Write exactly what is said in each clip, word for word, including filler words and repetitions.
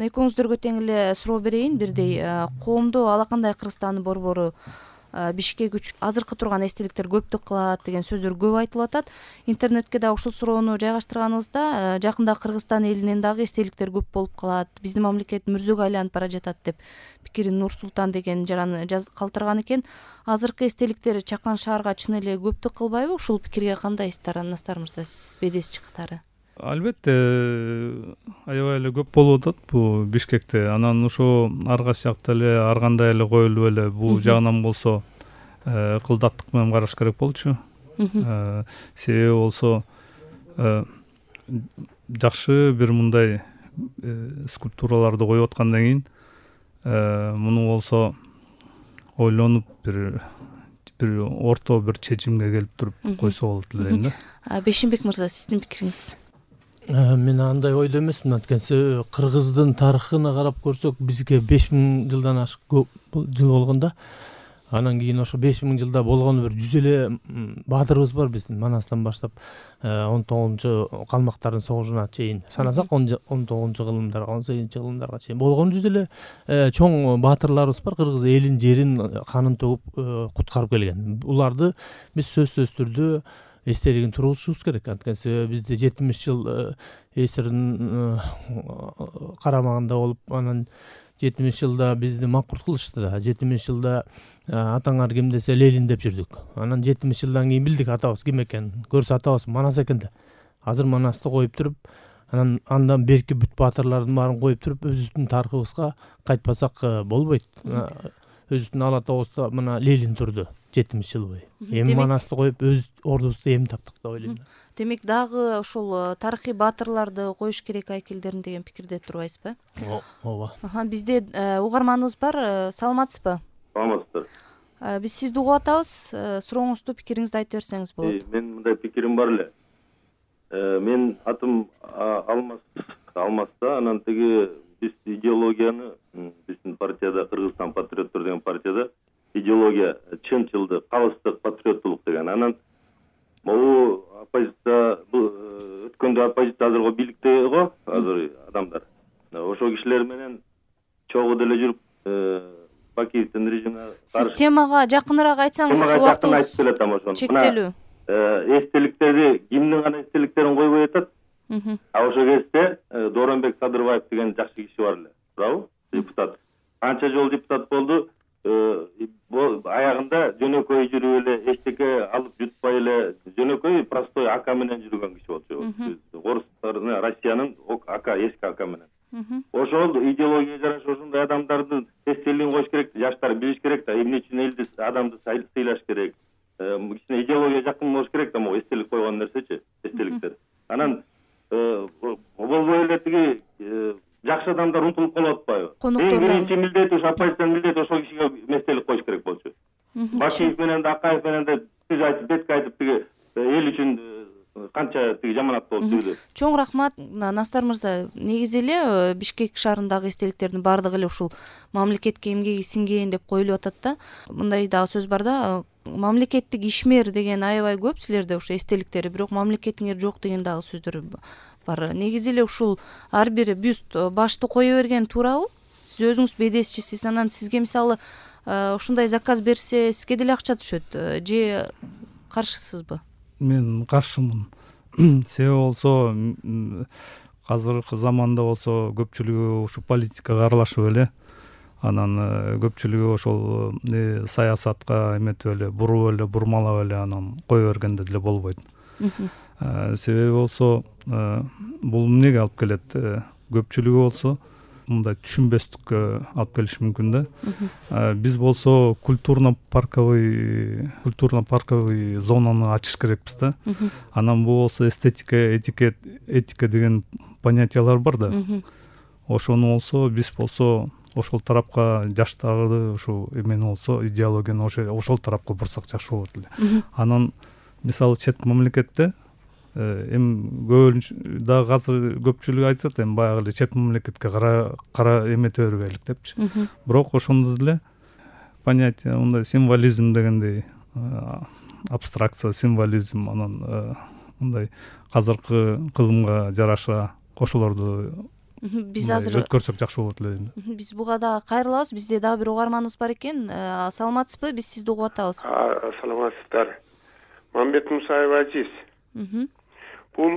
Экөөңүздөргө тең эле суроо берейин бирдей. Коомдо алакандай Кыргызстандын борбору Бишкек үчүн азыркы турган эстеликтер көптүк кылат деген сөздөр көп айтылып атат. Интернетке да ушул суроону жайгаштырганыбызда жакында Кыргызстан элинен дагы эстеликтер көп болуп калат, биздин мамлекет мүрзөгө айланып бара жатат деп пикирин Нур Султан деген жараны калтырган экен. Азыркы эстеликтер Чакан шаарга чын эле көптүк кылбайбы? Ушул пикирге кандайсыздар, Настар мырза, сиз бедесчи катары? Албетте, аябай эле көп болуп атат бул Бишкекте. Анан ошо ар кайсы жакта эле ар кандай эле коюлуп эле бул жагынан болсо кылдаттык менен караш керек болчу. Себеби болсо жакшы бир мындай скульптураларды коюп аткандан кийин муну болсо ойлонуп бир бир орто бир чечимге келип туруп койсо болот эле дейм да. Бешимбек мырза, сиздин пикириңиз? Мен андай ойдо эмесмин. Анткени Кыргыздын тарыхына карап көрсөк, бизге беш миң жылдан ашык жыл болгондо, анан кийин ошо беш миң жылда болгон бир жүз эле баатырыбыз бар биздин Манастан баштап он тогузунчу калмактардын согушуна чейин санасак он тогузунчу кылымдарга, он сегизинчи кылымдарга чейин болгон жүз эле чоң баатырларыбыз бар. Кыргыз элин, жерин, канын төгүп куткарып келген. Буларды биз сөзсүз түрдө эстелигин тургузушубуз керек. Анткени бизде жетимиш жыл эсирдин карамагында болуп, анан жетимиш жылда бизди макурт кылышты да. жетимиш жылда атаңар ким десе Ленин деп жүрдүк. Анан жетимиш жылдан кийин билдик атабыз ким экенин. Көрсө атабыз Манас экен да. Азыр Манасты коюп туруп, анан андан берки бүт баатырлардын баарын коюп туруп, өзүбүздүн тарыхыбызга кайтпасак болбойт. Өзүбүздүн ала тоосунда мына Ленин турду жетимиш жыл бою. Эми Манасты коюп өз ордубузду эми таптык деп ойлойм. Демек дагы ошол тарыхый баатырларды коюш керек айкелдерин деген пикирде турбайсызбы? Ооба. Бизде угарманыбыз бар, саламатсызбы? Саламатсыздар. Биз сизди угуп атабыз. Сурооңузду, пикириңизди айтып берсеңиз болот. Мен мындай пикирим бар эле. Мен атым Алмаз, Алмазда, анан тиги биз идеологияны биздин партияда, Кыргызстан патриоттор деген партияда идеология чынчылдык, калыстык, патриоттулук деген. Анан могу оппозиция өткөндө оппозиция азыркы бийликте го, азыр адамдар. Ошол кишилер менен чогуу деле жүрүп Бакиевдин режимине каршы. Сиз темага жакыныраак айтсаңыз, убактыбыз чектелүү. Эстеликтерди кимдин гана эстеликтерин койбой атат. А ошол кезде Дооронбек Садырбаев деген жакшы киши бар эле. Туурабы? Депутат. Канча жол депутат болду. Аягында жөнөкөй жүрүп эле, эчтеке алып жутпай эле, жөнөкөй простой ака менен жүргөн киши болчу. Орустардын, Россиянын ака, эски ака менен. Ошол идеология жараша ошондой адамдардын эстелигин коюш керек, жаштар билиш керек да, эмне үчүн элди, адамды сыйлаш керек. Кичине идеология жакын болуш керек да, могу эстелик койгон нерсечи, эстеликтер. Анан болбой эле тиги жакшы адамдар унутулуп калып атпайбы? Эң биринчи милдети ушу оппозициянын милдети ошол кишиге эстелик коюш керек болчу. Башиев менен да, Акаев менен да тиз айтып, бетке айтып, тиги эл үчүн канча тиги жаманат болуп жүрдү. Чоң рахмат, Настар мырза. Негизи эле Бишкек шаарындагы эстеликтердин баардыгы эле ушул мамлекетке эмгеги сиңген деп коюлуп атат да. Мындай дагы сөз бар да, мамлекеттик ишмер деген аябай көп силерде ошо эстеликтери, бирок мамлекетиңер жок деген дагы сөздөр бар. Негизи эле ушул ар бир бюст, башты кое берген туурабы? Сиз өзүңүз бедесчисиз, анан сизге мисалы ушундай заказ берсе, сизге деле акча түшөт, же каршысызбы? Мен каршымын. Себеби болсо азыркы заманда болсо көпчүлүгү ушу политикага аралашып эле, анан көпчүлүгү ошол саясатка эметип эле, буруп эле, бурмалап эле анан кое бергенде деле болбойт. Себеби болсо бул эмнеге алып келет? Көпчүлүгү болсо мындай түшүнбөстүккө алып келиши мүмкүн да. Биз болсо культурно-парковый культурно-парковый зонаны ачыш керекпиз да. Анан бул болсо эстетика, этикет, этика деген понятиялар бар да. Ошону болсо биз болсо ошол тарапка жаштарды ушу эмени болсо идеологияны ошол тарапка бурсак жакшы болот эле. Анан мисалы чет мамлекетте эми көбүнчө дагы азыр көпчүлүк айтат, эми баягы эле чет мамлекетке кара кара эмете бергейлик депчи. Бирок ошондо деле понятие мындай символизм дегендей, абстракция, символизм, анан мындай азыркы кылымга жараша ошолорду Биз азыр өткөрсөк жакшы болот эле дейм. Биз буга дагы кайрылабыз. Бизде дагы бир угарманыбыз бар экен. Саламатсызбы? Биз сизди угуп атабыз. Саламатсыздар. Мамбет Мусаев Азиз. Бул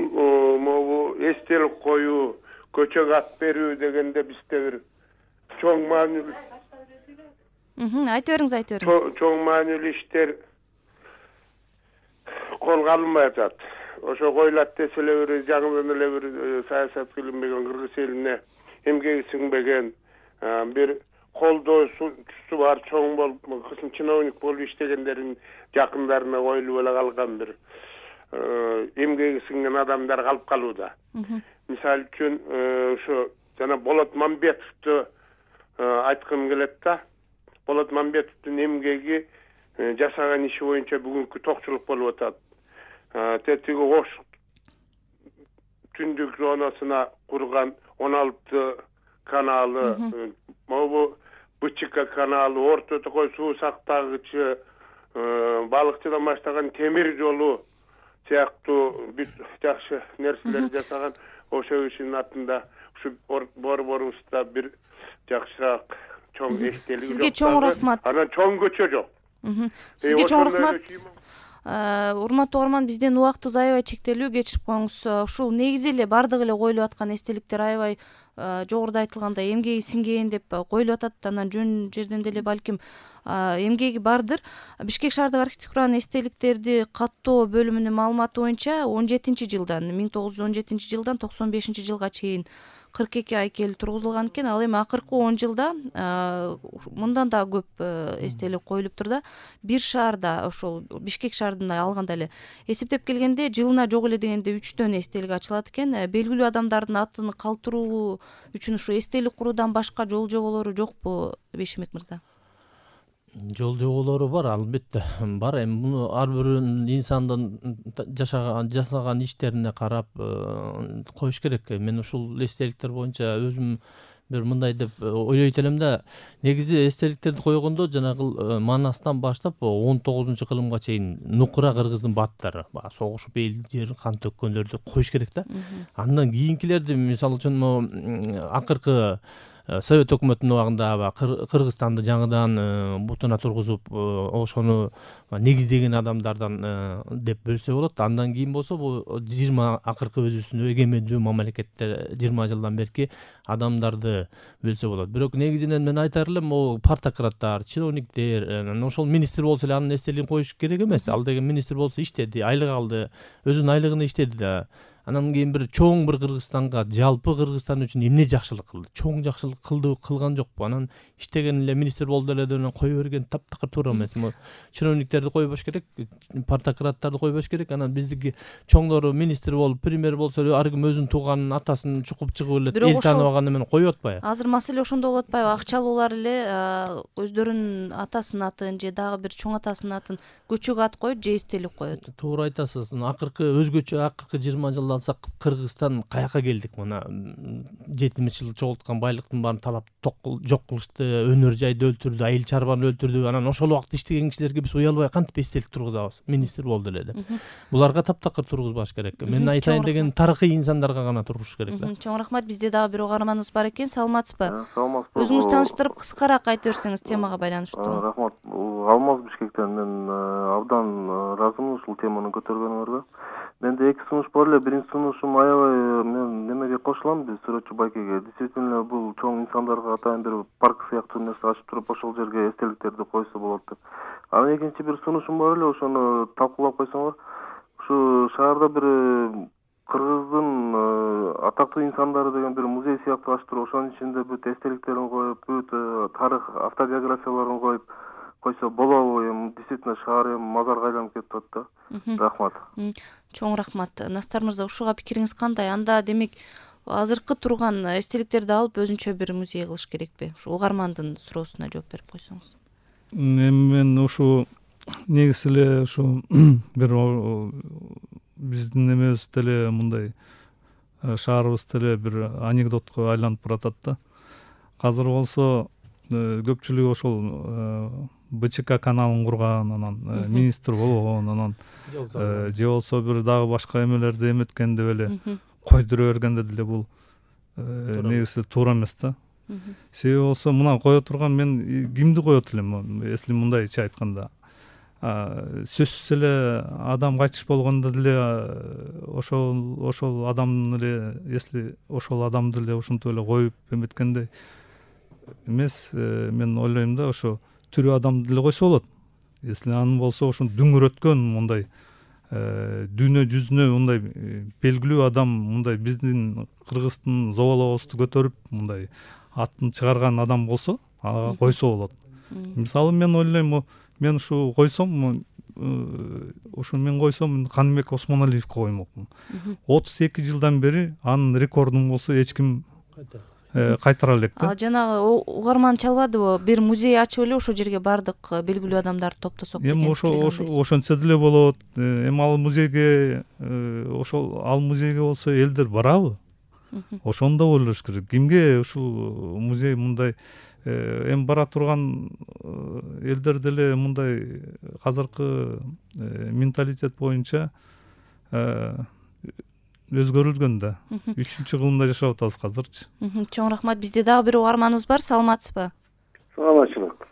могу эстелик коюу, көчөгө ат берүү дегенде бизде бир чоң маанилүү. Айтып бериңиз, айтып бериңиз. Чоң маанилүү иштер колго алынбай атат. Ошо коюлат десе эле бир жаңыдан эле бир саясат кылынбаган кыргыз элине эмгеги сиңбеген бир колдоосу бар чоң болуп чиновник болуп иштегендердин жакындарына коюлуп эле калган бир эмгеги сиңген адамдар калып калууда. Мисалы үчүн ошо жана Болот Мамбетовду айткым келет да. Болот Мамбетовдун эмгеги жасаган иши боюнча бүгүнкү токчулук болуп атат. Тетиги Ош түндүк зонасына курган он алты каналы, могу БЧК каналы, Орто Токой суу сактагычы, балыкчыдан баштаган темир жолу сыяктуу бүт жакшы нерселер жасаган ошол ишинин атында ушу борборубузда бир жакшыраак чоң эстелик. Сизге чоң рахмат. Анан чоң көчө жок. Сизге чоң рахмат. Урматтуу угарман, бизден убактыбыз аябай чектелүү, кечирип коюңуз. Ушул негизи эле бардыгы эле коюлуп аткан эстеликтер аябай жогоруда айтылгандай эмгеги сиңген деп коюлуп атат. Анан жөн жерден деле балким эмгеги бардыр. Бишкек шаардык архитектуранын эстеликтерди каттоо бөлүмүнүн маалыматы боюнча он жетинчи жылдан миң тогуз жүз он жетинчи жылдан токсон бешинчи жылга чейин кырк эки айкел тургузулган экен. Ал эми акыркы он жылда мындан да көп эстелик коюлуптур да. Бир шаарда, ошол Бишкек шаарында алганда эле эсептеп келгенде жылына жок эле дегенде үчтөн эстелик ачылат экен. Белгилүү адамдардын атын калтыруу үчүн ушу эстелик куруудан башка жол жоболору жокпу, Бейшимбек мырза? Жол жоболору бар, албетте бар. Эми муну ар бир инсандын жашаган жасаган иштерине карап коюш керек. Мен ушул эстеликтер боюнча өзүм бир мындай деп ойлойт элем да. Негизи эстеликтерди койгондо жанагы Манастан баштап он тогузунчу кылымга чейин нукура кыргыздын бааттары, баягы согушуп эл жерин кан төккөндөрдү коюш керек да. Андан кийинкилерди, мисалы үчүн акыркы Совет өкмөтүнүн убагында Кыргызстанды жаңыдан бутуна тургузуп, ошону негиздеген адамдардан деп бөлсө болот. Андан кийин болсо бул жыйырма акыркы өзүбүздүн эгемендүү мамлекетте жыйырма жылдан берки адамдарды бөлсө болот. Бирок негизинен мен айтар элем, могу партократтар, чиновниктер, ошол министр болсо эле анын эстелигин коюш керек эмес. Ал деген министр болсо иштеди, айлык алды, өзүнүн айлыгына иштеди да. Анан кийин бир чоң бир Кыргызстанга, жалпы Кыргызстан үчүн эмне жакшылык кылды? Чоң жакшылык кылды, кылган жокпу? Анан иштеген эле министр болду эле деп кое берген таптакыр туура эмес. Чиновниктерди койбош керек, партократтарды койбош керек. Анан биздики чоңдору министр болуп, премьер болсо эле ар ким өзүнүн тууганын атасын чукуп чыгып эле эл тааныбаган эмени коюп атпайбы? Азыр маселе ошондо болуп атпайбы? Акчалуулар эле өздөрүнүн атасынын атын же дагы бир чоң атасынын атын көчөгө ат коюп же эстелик коет. Туура айтасыз. Акыркы өзгөчө акыркы жыйырма жылда алсак, Кыргызстан каяка келдик? Мына жетимиш жыл чогулткан байлыктын баарын талап жок кылышты, өнөр жайды өлтүрдү, айыл чарбаны өлтүрдү. Анан ошол убакта иштеген кишилерге биз уялбай кантип эстелик тургузабыз? Министр болду эле деп. Буларга таптакыр тургузбаш керек. Мен айтайын деген тарыхый инсандарга гана тургуш керек да. Чоң рахмат. Бизде дагы бир угарманыбыз бар экен. Саламатсызбы? Саламатсызбы. Өзүңүз тааныштырып кыскараак айтып берсеңиз темага байланыштуу. Рахмат. Алмаз Бишкектен. Мен абдан ыраазымын ушул теманы көтөргөнүңөргө. Менде эки сунуш бар эле. Биринчи сунушум аябай мен немеге кошулам, биз сүрөтчү Байкеге. Действительно бул чоң инсандарга атайын бир парк сыяктуу нерсе ачып туруп ошол жерге эстеликтерди койсо болот деп. Анан экинчи бир сунушум бар эле, ошону талкуулап койсоңор. Ушу шаарда бир Кыргыздын атактуу инсандары деген бир музей сыяктуу ачып туруп, ошонун ичинде бүт эстеликтерин коюп, бүт тарых автобиографияларын коюп койсо болобу? Эми действительно шаар эми мазарга айланып кетип атат да. Рахмат. Чоң рахмат. Настар мырза, ушуга пикириңиз кандай? Анда демек азыркы турган эстеликтерди алып өзүнчө бир музей кылыш керекпи? Ушу угармандын суроосуна жооп берип койсоңуз. Эми мен ушу негизи эле ушу бир биздин эмебизде эле мындай шаарыбызда эле бир анекдотко айланып баратат да. Азыр болсо көпчүлүгү ошол БЧК каналын курган, анан министр болгон, анан же болсо бир дагы башка эмелерди эметкен деп эле койдура бергенде деле бул негизи туура эмес да. Себеби болсо мына кое турган мен кимди коет элем, если мындайча айтканда. Сөзсүз эле адам кайтыш болгондо деле ошол ошол адамдын эле, если ошол адамды эле ушинтип эле коюп эметкенде эмес, мен ойлойм да, ошо тирүү адамды деле койсо болот. Если анын болсо ошо дүңүрөткөн мындай дүйнө жүзүнө мындай белгилүү адам, мындай биздин Кыргыздын зобалообузду көтөрүп мындай атын чыгарган адам болсо, ага койсо болот. Мисалы мен ойлойм, мен ушу койсом, ушу мен койсом Каныбек Осмоналиевди коймокмун. отуз эки жылдан бери анын рекордун болсо эч ким кайтара элек да. А жанагы угарман чалбадыбы? Бир музей ачып эле ошол жерге бардык белгилүү адамдарды топтосок деген. Эми ошо ошентсе деле болот. Эми ал музейге, ошол ал музейге болсо элдер барабы? Ошону да ойлош керек. Кимге ушул музей мындай эми бара турган элдер деле мындай азыркы менталитет боюнча өзгөрүлгөн да. үчүнчү кылымда жашап атабыз азырчы. Чоң рахмат. Бизде дагы бир угарманыбыз бар. Саламатсызбы? Саламатчылык.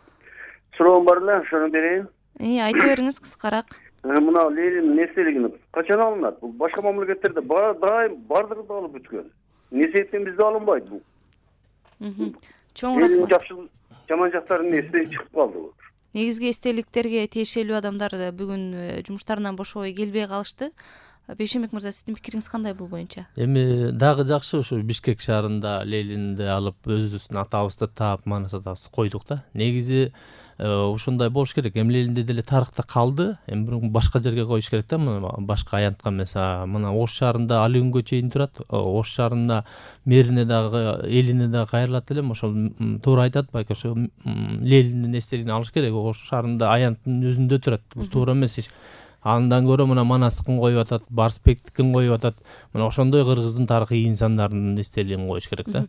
Суроом бар эле, ошону берейин. И, айта бериңиз кыскараак. Мына Ленин эстелигин качан алынат? Бул башка мамлекеттерде дайым бардыгы да алып бүткөн. Эмне себептен бизде алынбайт бул? Чоң рахмат. Жакшы жаман жактарын эстей чыгып калды. Негизги эстеликтерге тиешелүү адамдар бүгүн жумуштарынан бошобой келбей калышты. Бейшембек мырза, сиздин пикириңиз кандай бул боюнча? Эми дагы жакшы, ушу Бишкек шаарында Ленинди алып өзүбүздүн атабызды таап, манас атабызды койдук да. Негизи ушундай болуш керек. Эми Ленинде деле тарыхта калды. Эми башка жерге коюш керек да, башка аянтка эмес. Мына Ош шаарында али күнгө чейин турат. Ош шаарында мэрине дагы, элине дагы кайрылат элем. Ошол туура айтат, байке ошо Лениндин эстелигин алыш керек. Ош шаарында аянттын өзүндө турат. Бул туура эмес иш. Андан көрө мына Манастыкын коюп атат, Барсбектикин коюп атат. Мына ошондой кыргыздын тарыхый инсандарынын эстелигин коюш керек да.